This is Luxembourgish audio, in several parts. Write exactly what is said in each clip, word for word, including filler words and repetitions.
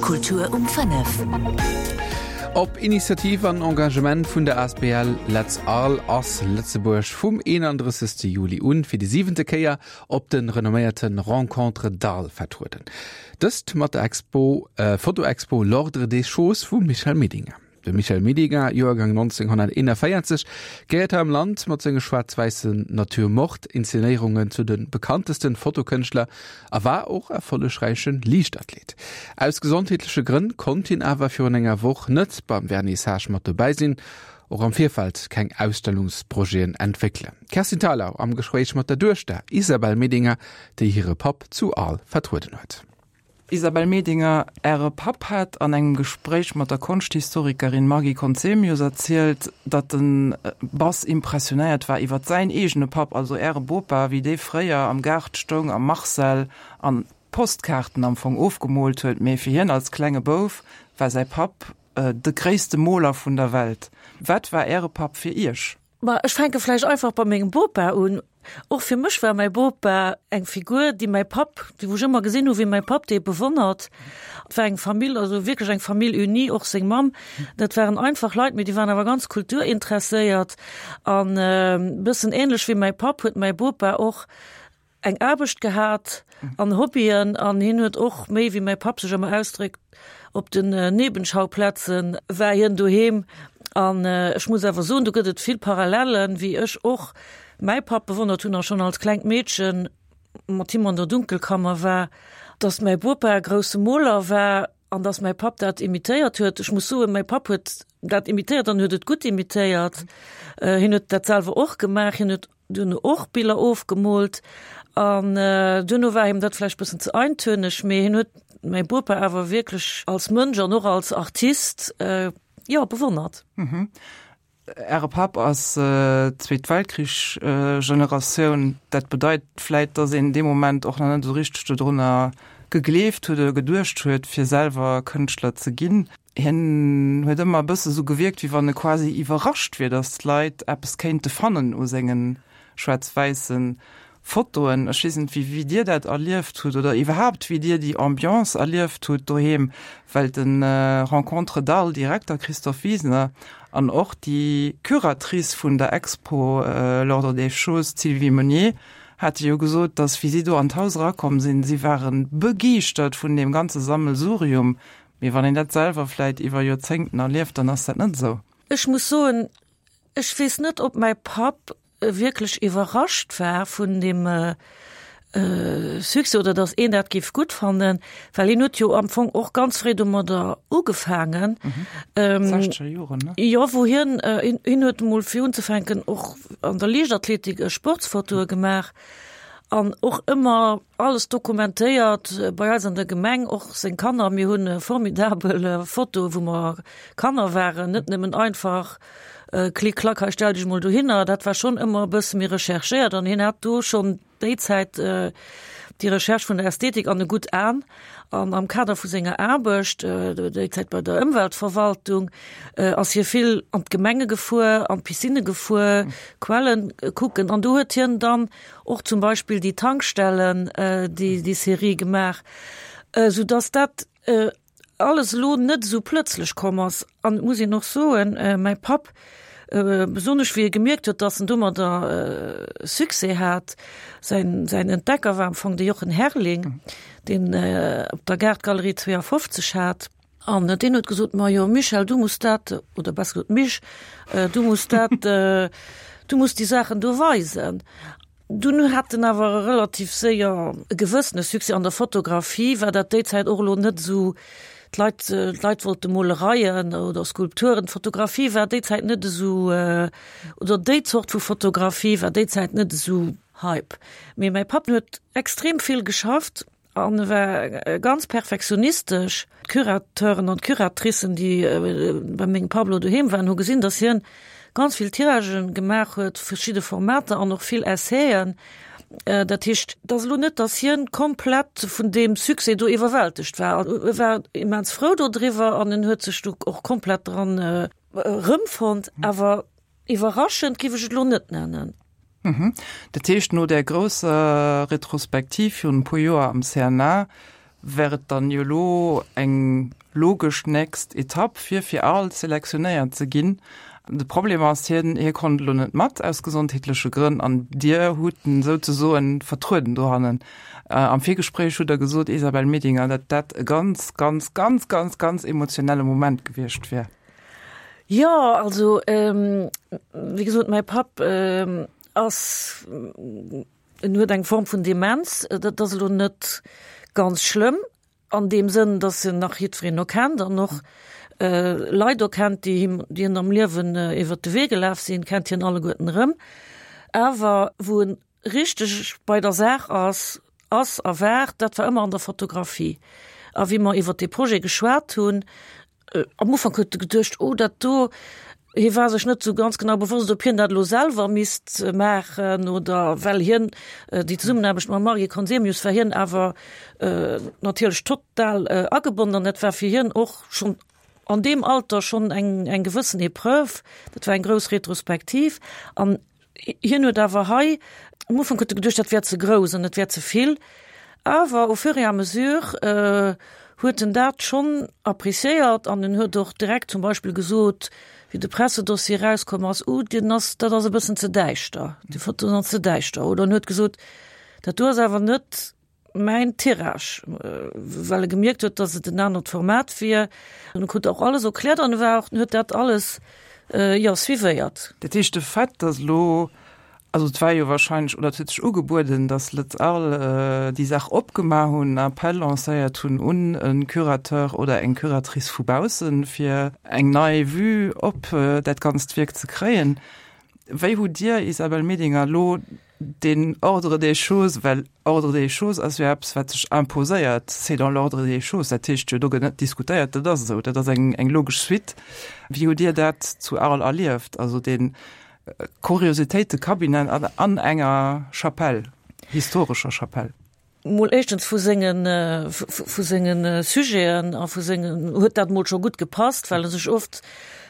Kultur um fënnef. Op Initiativ an Engagement vun der A S B L Letz Arles ass Lëtzebuerg vum eenandrëssegste Juli un fir déi siwente Kéier op de renomméierte Rencontres d'Arles vertrueden. Dëst mat der Expo, äh, Fotoexpo L'Ordre des Choses vum Michel Medinger. De Michel Medinger, Joergang nonzénghonnerteenanvéierzeg, gehéiert hei am Land mat senge schwaarz-wäissen Nature-morte-Inszenéierungen zu de bekanntesten Fotokënschtler a war och erfollegräiche Liichtathlet. Aus gesondheetleche Grënn konnt hien awer virun enger Woch net beim Vernissage mat dobäi sinn, och am Virfeld keng Ausstellungsprojeten entwéckelen. Kerstin Thalau am Gespréich mat der Duechter Isabelle Medinger, déi hire Papp zu Arles vertrueden huet. Isabelle Medinger, Äre Papp hat an engem Gespréich mat der Konschthistorikerin Maggy Conzemius erzielt, datt en bass impressionéiert war iwwer säin eegene Papp, also Äre Bopa, wéi dee fréier am Gaart stoung am Marcel an Postkaarten am Fong ofgemoolt huet, mee fir hien als klenge Bouf war säi Papp de gréisste Moler vun der Welt. Wat war Äre Papp fir Iech? Ma ech fänke vläicht einfach bei mengem Bopa un. Och fir mech war mäi Bopa eng Figur, déi mäi Papp, déi wou ech ëmmer gesinn hu wéi mäi Papp dee bewonnert. Et war eng Famill, also wierklech eng Famille unie, och seng Mamm. Dat waren einfach Leit, mee déi waren awer ganz kulturinteresséiert an e bëssen ähnlech wéi mäi Papp huet mäi Bopa och eng Aarbecht gehat an Hobbyen an hien huet och méi wéi mäi Papp sech ëmmer ausdréckt op den Nebenschauplätzen war hien doheem an ech muss awer soen, do gëtt et vill Parallelen, wéi ech och mäi Papp bewonnert hunn a schonn als klengt Meedchen mat him an der Dunkelkammer war, dass mäi Bopa e grousse Moler war an dass mäi Papp dat imitéiert huet. Ech muss soen, mäi Papp huet dat imitéiert an huet et gutt imitéiert. Hien huet dat selwer och gemaach, hien huet duerno och Biller ofgemoolt an duerno war him dat vläicht bëssen ze eintöneg, mee hien huet mäi Bopa awer wierklech als Mënsch an och als Artist, jo, bewonnert. Äre Papp ass Zweet Weltkrich Generatioun. Dat bedeit vläit, datt een dee Moment och nach net esou richteg dodrunner gegleeft huet oder geduecht huet, fir selwer Kënschtler ze ginn. Hien huet ëmmer e bësse sou gewierkt, wéi wann e quasi iwwerrascht wier, datt d'Leit eppes kéinte fannen u sengen schwaarz-wäisse Fotoen. Ech weess net, wéi, wéi Dir dat erlieft hutt oder iwwerhaapt, wéi Dir déi Ambiance erlieft hutt doheem, well de Rencontres d'Arles Direkter Christophe Wiesner an och déi Curatrice vun der Expo L'Ordre des Choses, d'Sylvie Meunier, hate jo gesot, datt wéi si do an d'Haus erakomm sinn, si ware begeeschtert vun deem ganze Sammelsurium. Mee wann een dat selwer vläit iwwer Joerzéngten erlieft, dann ass dat net esou. Ech muss soen, ech weess net, ob mäi Papp wierklech iwwerrascht war vun dem Succès oder datt een dat géif gutt fannen, well hien huet jo am Fong och ganz fréi domadder ugefaangen. Sechzeger Joren, ne? Jo, wou hien, hien huet emol fir unzefänken och an der Liichtathletik Sportsfotoe gemaach an och ëmmer alles dokumentéiert bei eis an der Gemeng, och seng Kanner. Mir hunn formidabel Fotoe wou mer Kanner waren, net nëmmen einfach klick klack hei stell dech mol dohinner, dat war schonn ëmmer e bësse méi recherchéiert an hien hat do schonn déi Zäit déi Recherche vun der Ästhetik an e gutt An. An am Kader vu senger Aarbecht, déi Zäit bei der Ëmweltverwaltung, ass hie vill an d'Gemenge gefuer, an d'Piscinne gefuer, Quellen kucken an do huet hien dann och zum Beispill déi Tankstellen, déi déi Serie gemaach, sou dass dat alles elo net esou plëtzlech komm ass. An et muss een och soen, mäi Papp, besonnesch wéi e gemierkt huet, dass en domadder Succès hat, säin säin Entdecker war am Fong de Jochen Herrling, deen op der Gaart-Galerie zweeafofzeg hat, an deen huet gesot, Ma jo Michel, du muss dat, oder besser gesot Mich, du muss dat, du muss déi Saachen do weisen. Dunn hat en awer relativ séier e gewëssene Succès. An der Fotografie war dat déi Zäit och elo net esou, d'Leit, d'Leit wollte Molereien oder Skulpturen. D'Fotografie war déi Zäit net esou, oder déi Zort vu Fotografie war déi Zäit net esou Hype. Mee mäi Papp huet extrem vill geschafft an e war ganz perfektionistesch. D'Curateuren an d'Curatricen, déi bei mengem Papp elo doheem waren, hu gesinn, datt hien ganz vill Tiragen gemaach huet, verschidde Formater an och vill Essaien. Dat heescht, et ass elo net, datt hien komplett vun deem Succès do iwwerwältegt war. E war immens frou dodriwwer an en huet sech do och komplett dran erëmfonnt. Awer iwwerraschend géif ech et elo net nennen. Dat heescht, no där grousser Retrospektiv virun e puer Joer am C N A wär et dann jo elo eng logesch next Etapp fir fir Arles selektionéiert ze ginn. De Problem ass, hien hie konnt elo net mat aus gesondheetleche Grënn an Dir hutt en souzesoen vertrueden dohannen. Am Virgespréich hutt Der gesot, Isabelle Medinger, datt dat e ganz, ganz, ganz, ganz, ganz emotionelle Moment gewiescht wär. Jo, also wéi gesot, mäi Papp ass, en huet eng Form vun Demenz, dat ass elo net ganz schlëmm an deem Sënn, datt en nach jiddwereen erkennt an och Leit erkennt, déi him, déi hien am Liewen iwwert de Wee gelaf sinn, kennt hien alleguerten erëm. Awer wou en richteg bei der Saach ass, ass a war, dat war ëmmer an der Fotografie. A wéi mer iwwert dee Projet geschwat hunn, Am Ufank huet e geduecht, oh dat do, hie war sech net esou ganz genau bewosst, ob hien dat elo selwer misst maachen oder well hien déi Zesummenaarbecht mam Marie Conzemius war hien awer natierlech total agebonnen an dat war fir hien och schonn an deem Alter schonn eng eng gewëssen Epreuve. Dat war eng grouss Retrospektiv an hien huet awer hei, am Ufank huet e geduecht, dat wär ze grouss an et wär ze vill, awer au fur et à mesure huet en dat schonn appréciéiert an en huet och direkt zum Beispill gesot, wéi de Pressedossier erauskomm ass, Uh, deen ass, dat ass e bëssen ze däischter, déi Foto ass ze däischter. Oder en huet gesot, dat do ass awer net mäin Tirage, well e gemierkt huet, datt et en anert Format wier. An e krut och alles erkläert an e war och, en huet dat alles, jo, suivéiert. Dat heescht, de Fait, datt elo Also et war jo wahrscheinlech, oder et huet sech ugebueden, datt Lëtz Arles déi Saach opgemaach hunn, en Appel lancéiert hunn un e Curateur oder eng Curatrice vu baussen, fir eng nei Vue op dat ganzt Wierk ze kréien. Wéi hutt Dir, Isabelle Medinger, elo deen Ordre des choses, well Ordre des choses ass jo eppes, wat sech imposéiert, c'est dans l'ordre des choses, dat heescht jo, do gëtt net diskutéiert, dat ass esou, dat ass eng logesch Suite. Wéi hutt Dir dat zu Arles erlieft, also deen Kuriositéitekabinet an enger Chapelle, historescher Chapelle. Mol éischtens vu sengen, vu sengen Sujeten a vu sengen, huet dat mol scho gutt gepasst, well e sech oft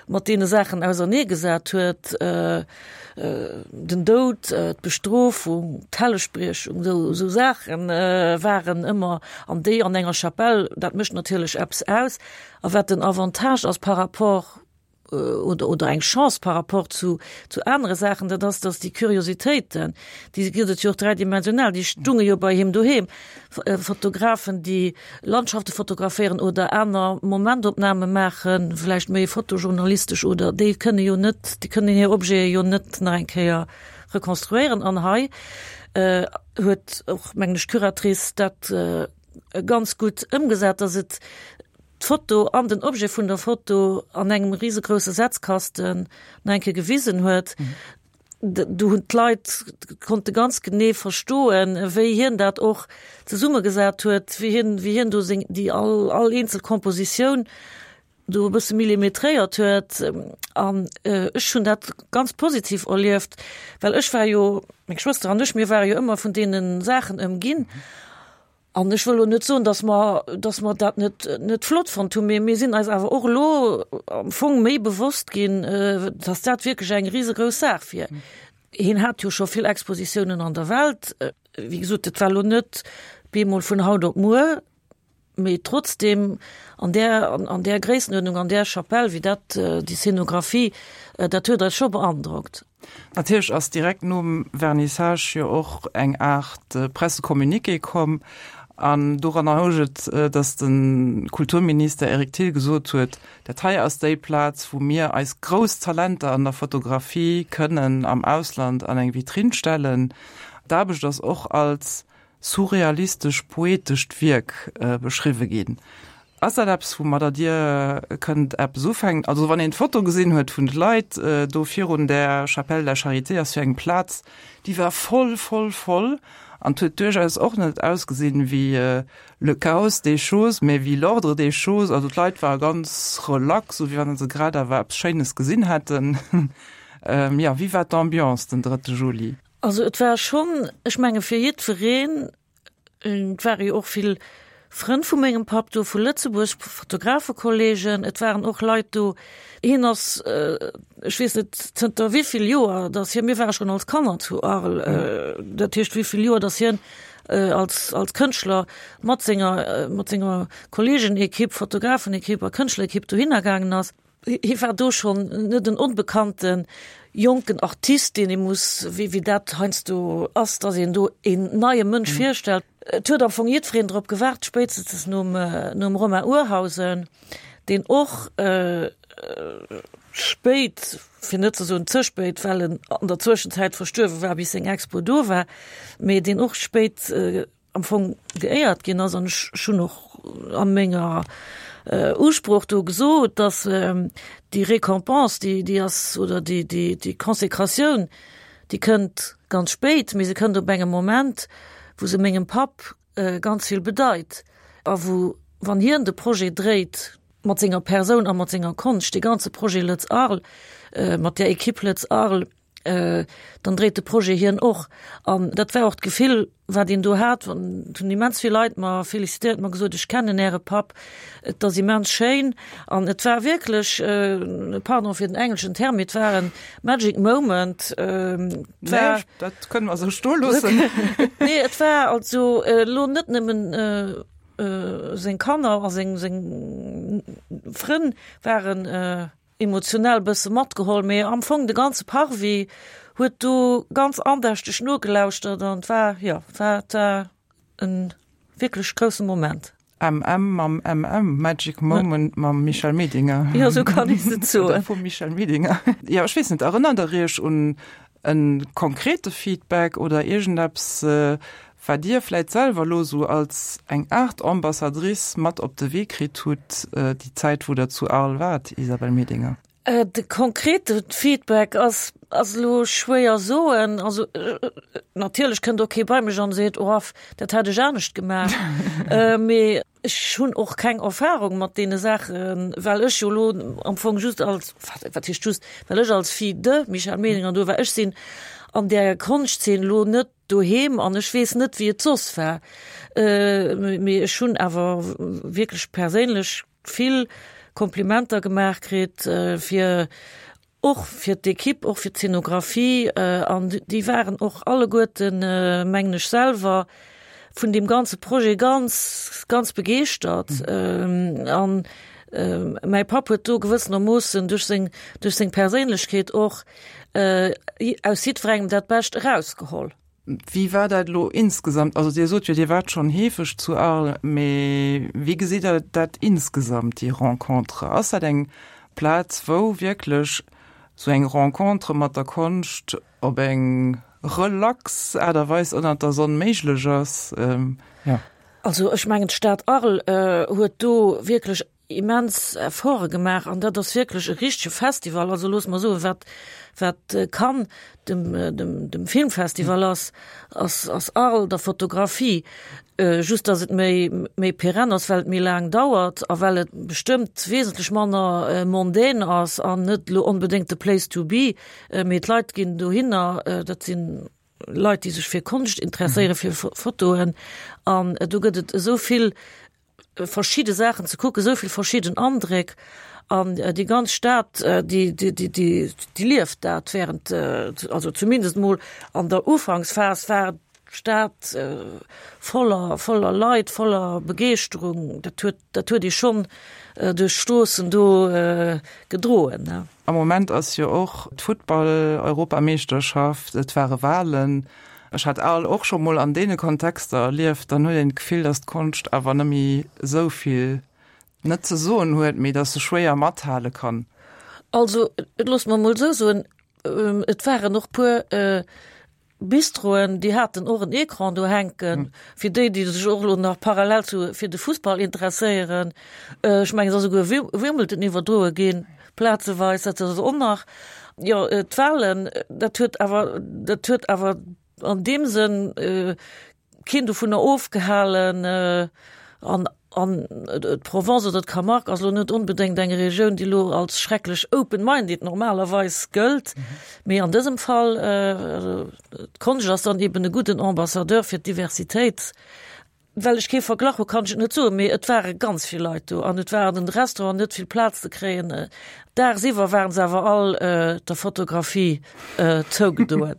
mat deene Saachen auserneegesat huet, den Doud, d'Bestrofung, d'Hellegspriechung, esou, esou Saache waren ëmmer, an déi an enger Chapelle, dat mécht natierlech eppes aus. A wat den Avantage ass par rapport oder, oder eng Chance par rapport zu, zu anere Saachen, dat ass, dass déi Kuriositéiten, déi gëtt et jo och dräidimensional, déi stunge jo bei him doheem. Fotografen, déi Landschafte fotograféieren oder aner Momentopname maachen, vläicht méi fotojournalistesch oder déi kënne jo net, déi kënnen hir Objete jo net nach eng Kéier rekonstruéieren. An hei huet och, mengen ech, d'Curatrice dat ganz gutt ëmgesat, dass et d'Foto an den Objet vun der Foto an engem risegrousse Setzkasten nach eng Kéier gewisen huet. Do hunn d'Leit konnte ganz genee verstoen, wéi hien dat och zesummegesat huet, wéi hien, wéi hien do seng, déi all, all eenzel Kompositioun do e bësse millimetréiert huet. An ech hunn dat ganz positiv erlieft, well ech war jo, meng Schwëster an ech, mir ware jo ëmmer vun deene Saachen ëmginn. An ech wëll elo net soen, datt mer, datt mer dat net, net flott fonnt hunn, mee mir sinn eis awer och elo am Fong méi bewosst ginn, datt dat wierklech eng risegrouss Saach wier. Hien hat jo scho vill Expositiounen an der Welt. Wéi gesot, et war elo net bemol vun haut op muer, mee trotzdem an där, an där Gréissenuerdnung, an där Chapelle, wéi dat, déi Scenographie, dat huet eis scho beandrockt. Natierlech ass direkt nom Vernissage jo och eng Aart Pressecommuniqué komm an doranner housch et, datt de Kulturminister Eric Thill gesot huet, dat hei ass déi Plaz, wou mir eis grouss Talenter an der Fotografie kënnen am Ausland an eng Vitrinn stellen. D'Aarbecht ass och als surrealistesch-poetescht Wierk beschriwwe ginn. Ass dat eppes, woumadder Dir kënnt eppes ufänken? Also wann een d'Foto gesinn huet vun de Leit do virun där Chapelle de la Charité, ass jo eng Plaz, déi war voll, voll, voll an 't huet duerchaus och net ausgesinn wéi le chaos des choses, mä wéi l'ordre des choses. Also d'Leit ware ganz relax, sou wéi wann se grad awer eppes Schéines gesinn hätten. Jo, wéi war d'Ambiance den drëtte Juli? Also et war schonn, ech menge fir jiddwereen, et ware jo och vill Frënn vu mengem Papp do vu Lëtzebuerg, Fotografekollegen, et waren och Leit do, hien ass, ech weess net zënter wéi vill Joer, datt hien, mir ware schonn als Kanner zu Arles, dat heescht wéi vill Joer, datt hien als, als Kënschtler mat senger, mat senger Kolleegenekipp, Fotografenekipp a Kënschtlerekipp dohinner gaangen ass. Hie war do schonn net en onbekannte jonken Artist, deen ee muss, wéi, wéi dat heiansdo ass, dass een do een neie Mënsch virstellt. Et huet am Fong jiddwereen drop gewaart, spéitstens nom, nom Romain Urhausen, deen och spéit, fir net ze soen ze spéit, well en an der Zwëschenzäit verstuerwe war, bis seng Expo do war, mee deen och spéit am Fong geéiert ginn ass. An ech hunn och a menger Usprooch do gesot, dass déi Récompense, déi, déi ass, oder déi, déi, déi Consécratioun, déi kënnt ganz spéit, mee se kënnt op engem Moment, wou se mengem Papp ganz vill bedeit a wou, wann hien de Projet dréit, mat senger Persoun a mat senger Konscht, dee ganze Projet Lëtz Arles, mat där Equipe Lëtz Arles, dann dréit de Projet hien och. An dat war och d'Gefill, wat een do hat, wann, et hunn immens vill Leit mer felicitéiert, mer gesot, ech kennen Äre Papp, et ass immens schéin. An et war wierklech, pardon fir den engleschen Term, mee et war e magic moment. Et war. Nee, dat kënne mer esou stoe loossen. Nee, et war also elo net nëmmen seng Kanner a seng, seng Frënn waren emotionell bësse matgeholl, mee am Fong de ganze Parvis huet do ganz andächteg nogelauschtert an et war, jo, et war, et war e wierklech grousse Moment. MM mam MM, Magic Moment mam Michel Medinger. Jo, esou kann ee se soen. Oder vum Michel Medinger. Jo, ech weess net, erënnert Der Iech un e konkrete Feedback oder iergendeppes, wat Dir vläit selwer elo esou als eng Aart Ambassadrice mat op de Wee kritt hutt, déi Zäit, wou Der zu Arles waart, Isabelle Medinger? De konkrete Feedback ass ass elo schwéier soen. Also natierlech kënnt och kee bei mech an seet, oh dat hätt ech anescht gemaach. Mee ech hunn och keng Erfahrung mat deene Saachen, well ech jo elo am Fong just als, wat heescht just, well ech als Fille de Michel Medinger do war. Ech sinn an där Konschtzeen elo net doheem an ech weess net, wéi et soss war. Mee ech hunn awer wierklech perséinlech vill Komplimenter gemaach kritt fir och fir d'Equipe, och fir d'Zenographie an déi waren och alleguerten, mengen ech selwer, vun deem ganze Projet ganz, ganz begeeschtert. An mäi Papp huet do gewëssenermoossen duerch seng, duerch seng Perséinlechkeet och aus jiddwerengem dat Bescht erausgeholl. Wéi war dat elo insgesamt? Also Dir sot jo, Dir waart schonn heefeg zu Arles, mee wéi gesitt Der dat insgesamt, déi Rencontre? Ass dat eng Plaz, wou wierklech esou eng Rencontre mat der Konscht op eng relax Aart a Weis ënnert der Sonn méiglech ass? Jo. Also ech mengen, d'Stad Arles huet do wierklech immens Efforte gemaach an dat ass wierklech e richtege Festival. Also loosse mer soen, wat, wat Cannes dem, dem, dem Filmfestival ass, ass, ass Arles der Fotografie. Just datt et méi, méi pérenne ass, well et méi laang dauert a well et bestëmmt wesentlech manner mondain ass an net elo onbedéngt de Place to be, mee d'Leit ginn dohinner, dat sinn Leit, déi sech fir Konscht interesséieren, fir Fotoen an do gëtt et esou vill verschidde Saachen ze kucken, esou vill verschidden Andréck an déi ganz Stad, déi, déi, déi, déi, déi lieft dat während, also zumindest mol an der Ufanksphas war d'Stad voller, voller Leit, voller Begeeschterung. Dat huet, dat huet ee schonn duerch d'Stroossen do gedroen. Am Moment ass jo och d'Futtball-Europameeschterschaft, et ware Walen. Ech hat Arles och scho mol an deene Kontexter erlieft, dann huet een d'Gefill, datt d'Konscht awer net méi esou vill net ze soen huet, mee datt se schwéier mathale kann. Also, loosse mer mol esou soen, et waren och puer Bistroen, déi haten och en Ecran do hänken, fir déi, déi sech och elo nach parallel zu fir de Fussball interesséieren. Ech mengen, et ass esouguer Wimbledon iwwerdroe ginn, plazeweis, dat ass och nach. Jo, d'Wahlen, dat huet awer, dat huet awer an deem Sënn keen dovunner ofgehalen. An, an d'Provence oder d'Camargue ass elo net onbedéngt eng Regioun, déi elo als schrecklech open-minded normalerweis gëllt. Mee an dësem Fall, d'Konscht ass dann eben e gudden Ambassadeur fir d'Diversitéit. Well ech kee Verglach hu kann ech et net soen, mee et ware ganz vill Leit do an et war an den Restauranten net vill Plaz ze kréien. Daagsiwwer waren se awer all der Fotografie zougedoen.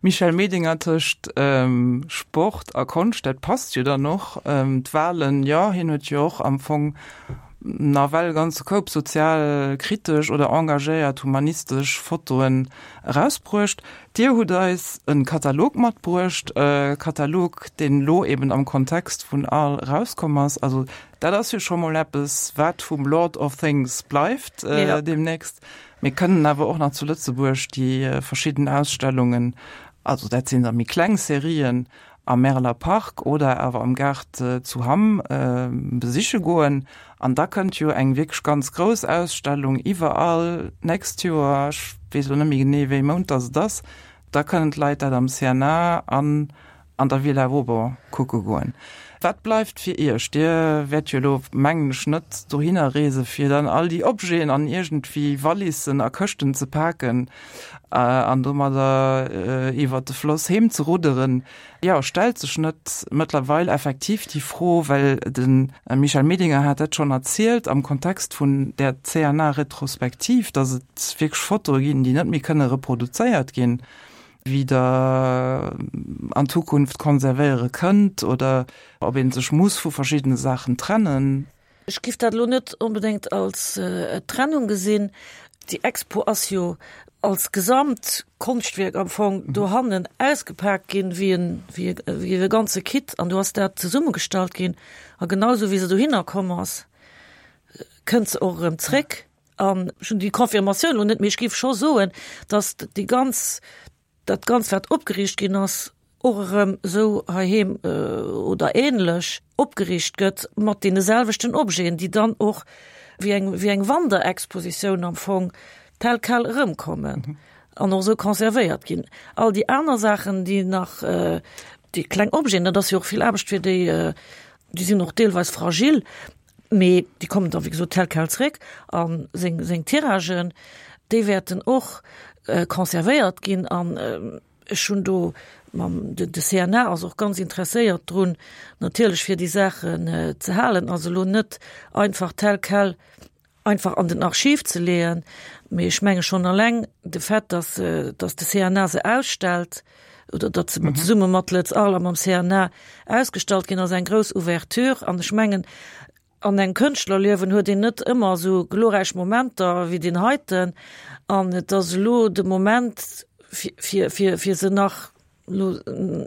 Michel Medinger tëscht ähm, Sport a Konscht, dat passt jo dann och. Ähm, d'Wahlen, jo, hien huet jo och am Fong nawell ganze Koup sozialkritesch oder engagéiert humanistesch Fotoen erausbruecht. Dir hutt eis e Katalog matbruecht, e Katalog, deen elo eben am Kontext vun Arles erauskomm ass. Also dat ass jo scho mol eppes, wat vum Lord of Things bleift äh, ja. demnächst. Mir kënnen awer och nach zu Lëtzebuerg déi äh, verschidden Ausstellungen, also dat sinn da méi kleng Serien, am Märeler Park oder awer am Gaart äh, zu Hamm äh, besiche goen. An da kënnt jo eng wierklech ganz grouss Ausstellung iwwer Arles d'nächst Joer, ech weess elo net méi genee wéi Mount dass et ass, da kënnen d'Leit dat am C N A an an der Villa Vauban kucke goen. Wat bleift fir Iech? Dir wäert jo elo mengen ech net dohinner reese fir dann all déi Objeten an iergendwéi Wallissen a Këschten ze paken äh, an domadder äh, iwwer de Floss heem ze rudderen. Jo, stellt sech net mëttlerweil effektiv déi Fro, well de Michel Medinger hat dat schonn erzielt am Kontext vun der C N A-Retrospektiv, dass et wierklech Fotoe ginn, déi net méi kënne reproduzéiert ginn, wéi Der an Zukunft konservéiere kënnt oder ob een sech muss vu verschiddene Saachen trennen. Ech géif dat lo net onbedéngt als äh, Trennung gesinn. Déi Expo ass jo als Gesamtkonschtwierk am Fong mhm. dohannen ausgepaakt ginn wéi en, wéi, wéi e ganze Kit an do ass dat zesummegestallt ginn a genau sou wéi se dohinner komm ass kënnt se och erëm zréck an schonn déi Confirmatioun an net mee ech géif scho soen, dass déi ganz dat Ganzt wat opgeriicht ginn ass och erëm sou heiheem äh, oder ähnlech opgeriicht gëtt mat deene selwechten Objeten, déi dann och wéi eng wéi eng Wanderexpositioun am Fong tel quel erëmkommen mhm. an och sou konservéiert ginn. All déi aner Saachen, déi nach äh, déi kleng Objeten, dat ass jo och vill Aarbecht fir déi äh, déi sinn och deelweis fragil, mee déi kommen da wéi gesot tel quel zréck an seng seng Tiragen, déi wäerten och äh, konservéiert ginn an äh, schonn do mam de, de C N A ass och ganz interesséiert drun natierlech fir déi Saachen äh, ze halen also lo net einfach tel quel einfach an den Archiv ze leeën mee ech menge schonn eleng de Fait dass äh, dass de C N A se ausstellt oder dass se mhm. zesumme mat Lëtz Arles am C N A ausgestallt ginn ass eng grouss Ouverture an ech mengen an engem Kënschtlerliewen huet een net ëmmer sou glorräich Momenter wéi deen heiten an et ass lo de Moment fir, fir, fir, fir se nach lo,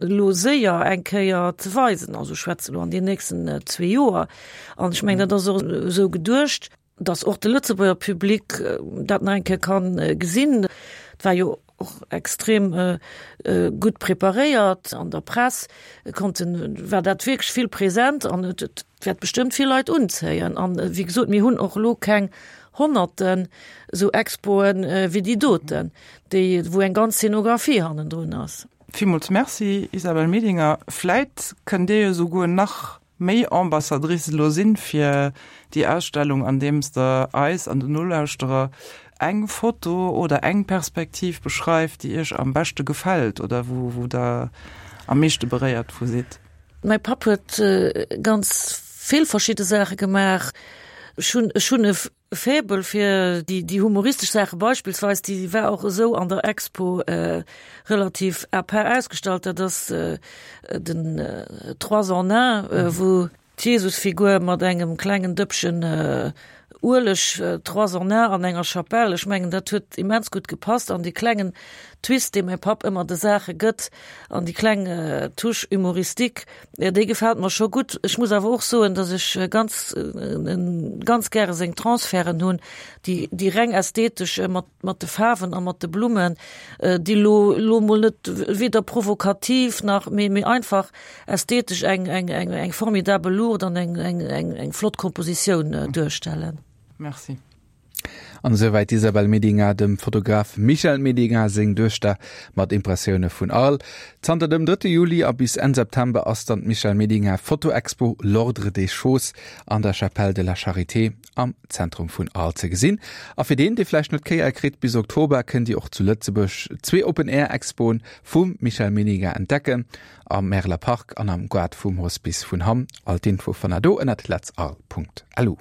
lo séier eng Kéier ze weisen also schwätze lo an den nächsten äh, zwee Joer an ech mengen dat ass och sou geduecht dass och de Lëtzebuerger Public äh, dat nach eng Kéier kann äh, gesinn Et war jo och extrem äh, äh, gutt preparéiert an der Press konnten war dat wierklech vill präsent an et, et wäert bestëmmt vill Leit unzéien an äh, wéi gesot mir hunn och lo keng Honnerten sou Expoen äh, wéi déi doten déi wou eng ganz Szenografie hannendrun ass. Villmools Merci Isabelle Medinger. Vläicht kënnt Dir jo souguer nach méi Ambassadrice lo sinn fir déi Ausstellung andeems Der eis an den Nolauschterer eng Foto oder eng Perspektiv beschreift, déi Iech am beschte gefält oder wou, wou Der am meeschte beréiert vu sidd. Mäi Papp huet äh, ganz vill verschidde Saache gemaach schonn schonn e Faible fir déi déi humoristesch Saache beispillsweis déi war och sou an der Expo äh, relativ à part ausgestallt dat ass äh, den äh, trois en un äh, wou d'Jesusfigur mat engem klengen Dëppchen äh, Ueleg äh, trois en un an enger Chapelle ech mengen dat huet immens gutt gepasst an dee klengen Twist dee mäi Papp ëmmer de Saache gëtt an déi kleng äh, Touche humoristique ja, déi gefält mir scho gutt ech muss awer och soen dass ech äh, ganz äh, ganz gäre seng Transferten hunn déi déi reng ästhetesch äh, mat mat de Faarwen a mat de Blummen äh, déi lo lo mol net weder provokativ nach mee mee einfach ästhetesch eng eng eng eng formidabel Luucht an eng eng eng eng flott Kompositioun äh, duerstellen. Merci. An souwäit Isabelle Medinger dem Fotograf Michel Medinger seng Duechter mat Impressioune vun Arles. Zanter dem drëtte Juli a bis Enn September ass dann d'Michel Medinger Fotoexpo L'Ordre des choses an der Chapelle de la Charité am Zentrum vun Arles ze gesinn. A fir deen, dee vläicht net d'Kéier kritt bis Oktober kënnt Dir och zu Lëtzebuerg zwee Open Air Expoen vum Michel Medinger entdecken am Märeler Park an am Gaart vum Hospice vun Hamm. All d'Info fannt Der do ënnert letzarles Punkt lu.